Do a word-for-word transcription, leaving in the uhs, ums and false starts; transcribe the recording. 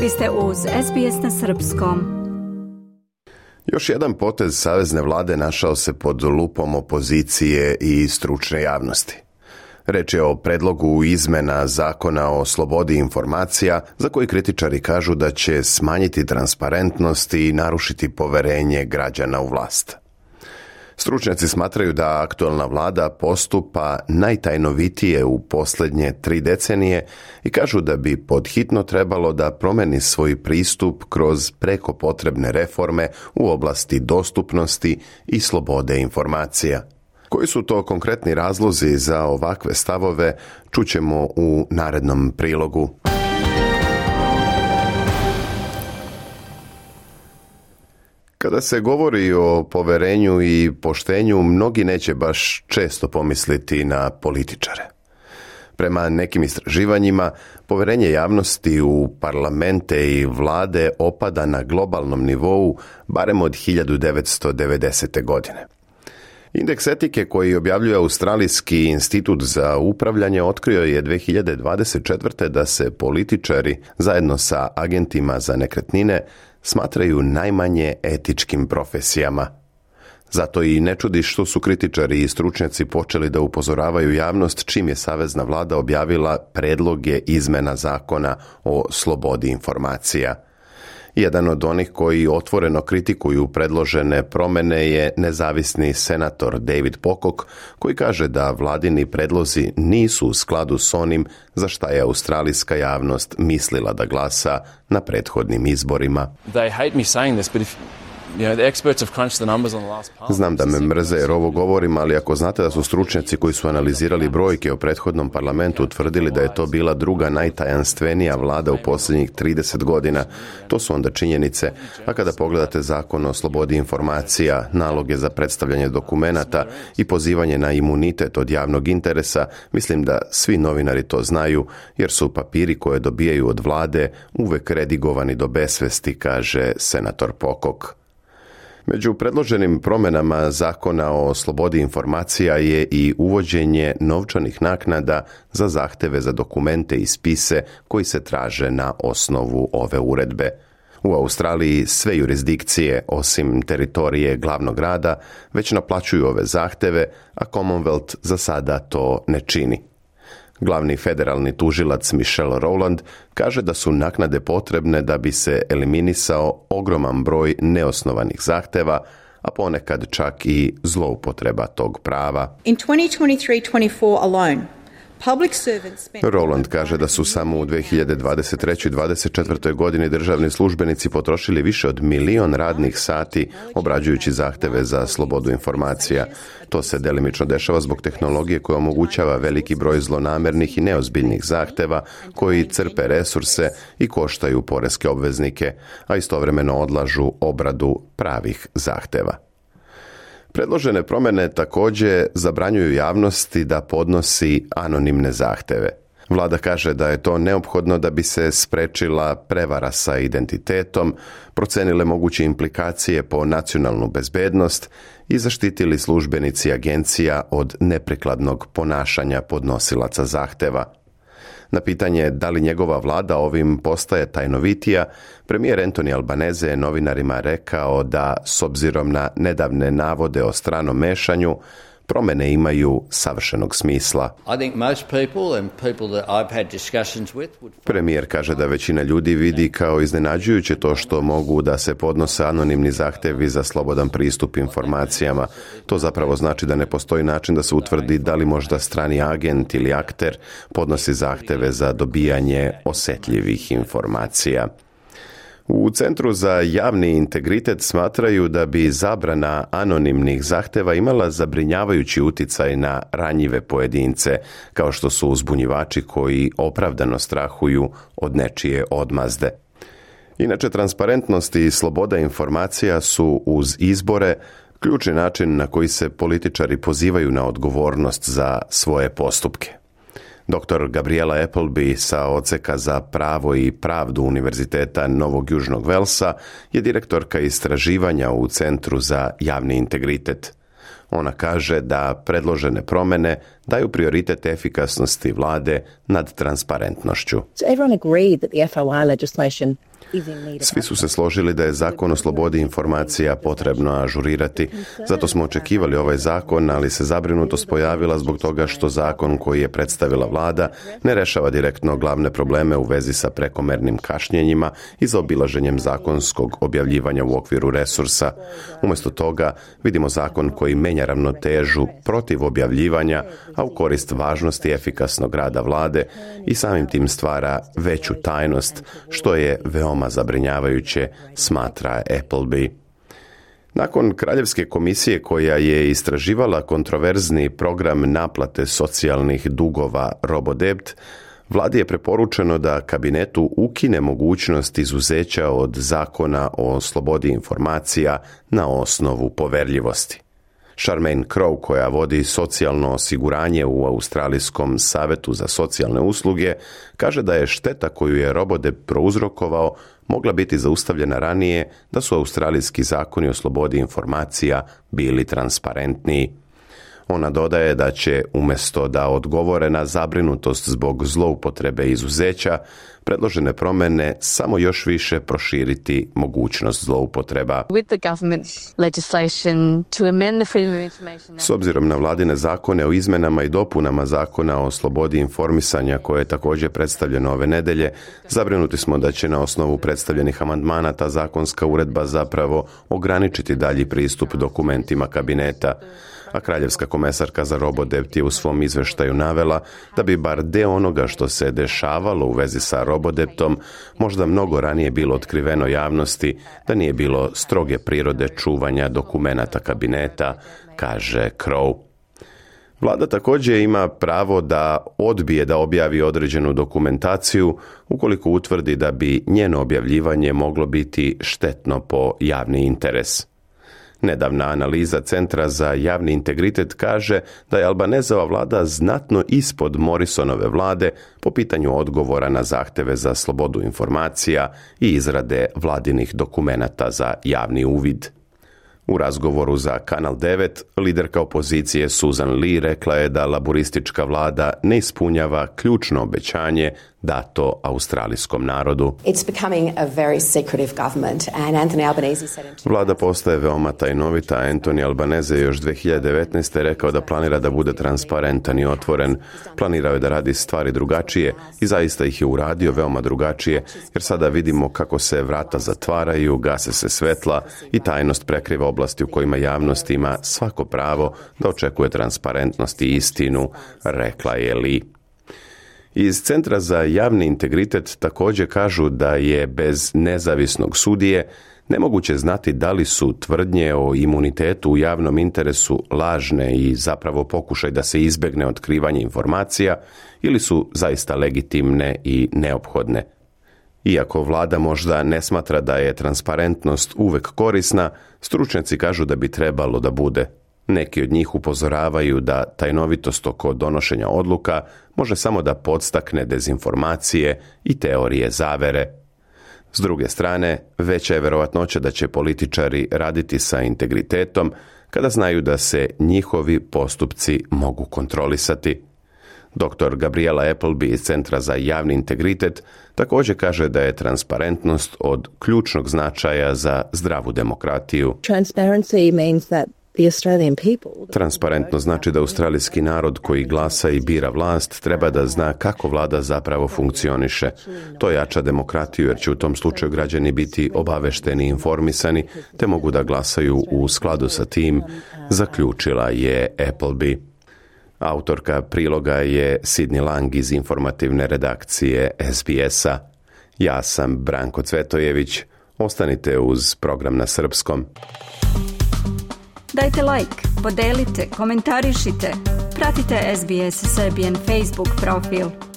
Vi ste uz S B S na srpskom. Još jedan potez savezne vlade našao se pod lupom opozicije i stručne javnosti. Reč je o predlogu izmena zakona o slobodi informacija, za koji kritičari kažu da će smanjiti transparentnost i narušiti poverenje građana u vlast. Stručnjaci smatraju da aktualna vlada postupa najtajnovitije u posljednje tri decenije i kažu da bi podhitno trebalo da promeni svoj pristup kroz preko potrebne reforme u oblasti dostupnosti i slobode informacija. Koji su to konkretni razlozi za ovakve stavove, čućemo u narednom prilogu. Kada se govori o poverenju i poštenju, mnogi neće baš često pomisliti na političare. Prema nekim istraživanjima, poverenje javnosti u parlamente i vlade opada na globalnom nivou barem od hiljadu devetsto devedesete. godine. Indeks etike koji objavljuje Australijski institut za upravljanje otkrio je dvije hiljade dvadeset četvrte. da se političari zajedno sa agentima za nekretnine smatraju najmanje etičkim profesijama. Zato i ne čudi što su kritičari i stručnjaci počeli da upozoravaju javnost čim je savezna vlada objavila predloge izmena zakona o slobodi informacija. Jedan od onih koji otvoreno kritikuju predložene promjene je nezavisni senator David Pocock, koji kaže da vladini predlozi nisu u skladu s onim za šta je australijska javnost mislila da glasa na prethodnim izborima. They hate me saying this, but if You know, the experts have crunched the numbers on the last parliament. Znam da me mrze jer ovo govorim, ali ako znate da su stručnjaci koji su analizirali brojke o prethodnom parlamentu utvrdili da je to bila druga najtajanstvenija vlada u posljednjih trideset godina, to su onda činjenice. A kada pogledate zakon o slobodi informacija, naloge za predstavljanje dokumenata i pozivanje na imunitet od javnog interesa, mislim da svi novinari to znaju, jer su papiri koje dobijaju od vlade uvek redigovani do besvesti, kaže senator Pocock. Među predloženim promjenama zakona o slobodi informacija je i uvođenje novčanih naknada za zahteve za dokumente i spise koji se traže na osnovu ove uredbe. U Australiji sve jurisdikcije, osim teritorije glavnog grada, već naplaćuju ove zahteve, a Commonwealth za sada to ne čini. Glavni federalni tužilac Michelle Rowland kaže da su naknade potrebne da bi se eliminisao ogroman broj neosnovanih zahteva, a ponekad čak i zloupotreba tog prava. In twenty twenty-three twenty-four alone, Rowland kaže da su samo u dvije hiljade dvadeset treće. i dvadeset četvrtoj. godini državni službenici potrošili više od milion radnih sati obrađujući zahteve za slobodu informacija. To se delimično dešava zbog tehnologije koja omogućava veliki broj zlonamernih i neozbiljnih zahteva koji crpe resurse i koštaju poreske obveznike, a istovremeno odlažu obradu pravih zahteva. Predložene promjene također zabranjuju javnosti da podnosi anonimne zahteve. Vlada kaže da je to neophodno da bi se sprečila prevara sa identitetom, procenile moguće implikacije po nacionalnu bezbednost i zaštitili službenici agencija od neprikladnog ponašanja podnosilaca zahteva. Na pitanje da li njegova vlada ovim postaje tajnovitija, premijer Anthony Albanese je novinarima rekao da, s obzirom na nedavne navode o stranom mešanju, promjene imaju savršenog smisla. Premijer kaže da većina ljudi vidi kao iznenađujuće to što mogu da se podnose anonimni zahtjevi za slobodan pristup informacijama. To zapravo znači da ne postoji način da se utvrdi da li možda strani agent ili akter podnosi zahtjeve za dobijanje osjetljivih informacija. U Centru za javni integritet smatraju da bi zabrana anonimnih zahteva imala zabrinjavajući uticaj na ranjive pojedince, kao što su uzbunjivači koji opravdano strahuju od nečije odmazde. Inače, transparentnost i sloboda informacija su uz izbore ključni način na koji se političari pozivaju na odgovornost za svoje postupke. doktor Gabriela Appleby sa odseka za pravo i pravdu Univerziteta Novog Južnog Velsa je direktorka istraživanja u Centru za javni integritet. Ona kaže da predložene promjene daju prioritet efikasnosti vlade nad transparentnošću. So everyone agreed that the F O I legislation Svi su se složili da je zakon o slobodi informacija potrebno ažurirati. Zato smo očekivali ovaj zakon, ali se zabrinutost pojavila zbog toga što zakon koji je predstavila vlada ne rešava direktno glavne probleme u vezi sa prekomernim kašnjenjima i zaobilaženjem zakonskog objavljivanja u okviru resursa. Umjesto toga vidimo zakon koji menja ravnotežu protiv objavljivanja, a u korist važnosti efikasnog rada vlade i samim tim stvara veću tajnost, što je veoma zabrinjavajuće, smatra Appleby. Nakon Kraljevske komisije koja je istraživala kontroverzni program naplate socijalnih dugova Robodebt, vladi je preporučeno da kabinetu ukine mogućnost izuzeća od zakona o slobodi informacija na osnovu poverljivosti. Charmaine Crow, koja vodi socijalno osiguranje u Australijskom savetu za socijalne usluge, kaže da je šteta koju je Robodebt prouzrokovao mogla biti zaustavljena ranije da su australijski zakoni o slobodi informacija bili transparentniji. Ona dodaje da će, umjesto da odgovore na zabrinutost zbog zloupotrebe izuzeća, predložene promjene samo još više proširiti mogućnost zloupotreba. S obzirom na vladine zakone o izmenama i dopunama zakona o slobodi informisanja koje je također predstavljeno ove nedelje, zabrinuti smo da će na osnovu predstavljenih amandmana ta zakonska uredba zapravo ograničiti dalji pristup dokumentima kabineta. A kraljevska komesarka za Robodebt je u svom izveštaju navela da bi bar deo onoga što se dešavalo u vezi sa Robodebtom možda mnogo ranije bilo otkriveno javnosti, da nije bilo stroge prirode čuvanja dokumenata kabineta, kaže Crow. Vlada također ima pravo da odbije da objavi određenu dokumentaciju ukoliko utvrdi da bi njeno objavljivanje moglo biti štetno po javni interes. Nedavna analiza Centra za javni integritet kaže da je Albanezova vlada znatno ispod Morrisonove vlade po pitanju odgovora na zahteve za slobodu informacija i izrade vladinih dokumenata za javni uvid. U razgovoru za Kanal devet, liderka opozicije Susan Lee rekla je da laburistička vlada ne ispunjava ključno obećanje dato australijskom narodu. Vlada postaje veoma tajnovita. Anthony Albanese je još dvije hiljade devetnaeste. rekao da planira da bude transparentan i otvoren. Planirao je da radi stvari drugačije i zaista ih je uradio veoma drugačije, jer sada vidimo kako se vrata zatvaraju, gase se svetla i tajnost prekriva oblasti u kojima javnost ima svako pravo da očekuje transparentnost i istinu, rekla je Lee. Iz Centra za javni integritet također kažu da je bez nezavisnog sudije nemoguće znati da li su tvrdnje o imunitetu u javnom interesu lažne i zapravo pokušaj da se izbjegne otkrivanje informacija ili su zaista legitimne i neophodne. Iako vlada možda ne smatra da je transparentnost uvek korisna, stručnjaci kažu da bi trebalo da bude. Neki od njih upozoravaju da tajnovitost oko donošenja odluka može samo da podstakne dezinformacije i teorije zavere. S druge strane, veća je verovatnoća da će političari raditi sa integritetom kada znaju da se njihovi postupci mogu kontrolisati. doktor Gabriela Appleby iz Centra za javni integritet također kaže da je transparentnost od ključnog značaja za zdravu demokratiju. Transparency means that Transparentno znači da australijski narod koji glasa i bira vlast treba da zna kako vlada zapravo funkcioniše. To jača demokratiju jer će u tom slučaju građani biti obavešteni i informisani te mogu da glasaju u skladu sa tim, zaključila je Appleby. Autorka priloga je Sidney Lang iz informativne redakcije S B S-a. Ja sam Branko Cvetojević. Ostanite uz program na srpskom. Dajte like, podelite, komentarišite. Pratite S B S Serbian Facebook profil.